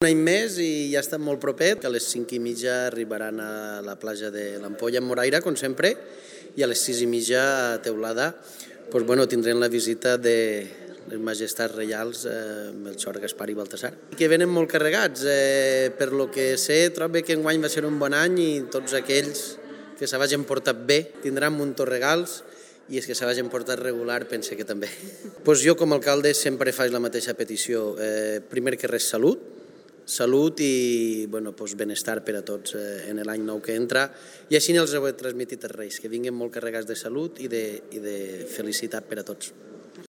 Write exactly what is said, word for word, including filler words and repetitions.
Un any més i ja estem molt propet, que a les cinc i mitja arribaran a la platja de l'Ampolla amb Moraira, com sempre, i a les sis i mitja a Teulada doncs, bueno, tindrem la visita de les majestats reials eh, Melchor, Gaspar i Baltasar, que venen molt carregats. Eh, per lo que sé, trobo que enguany va ser un bon any i tots aquells que se vagin portat bé tindran muntó regals, i és que se vagin portat regular, pense que també. Pues jo com a alcalde sempre faig la mateixa petició. Eh, primer que res, salut, salut i bueno, pues benestar per a tots eh, en l'any nou que entra, i així els heu transmitit els Reis, que vinguin molt carregats de salut i de, i de felicitat per a tots.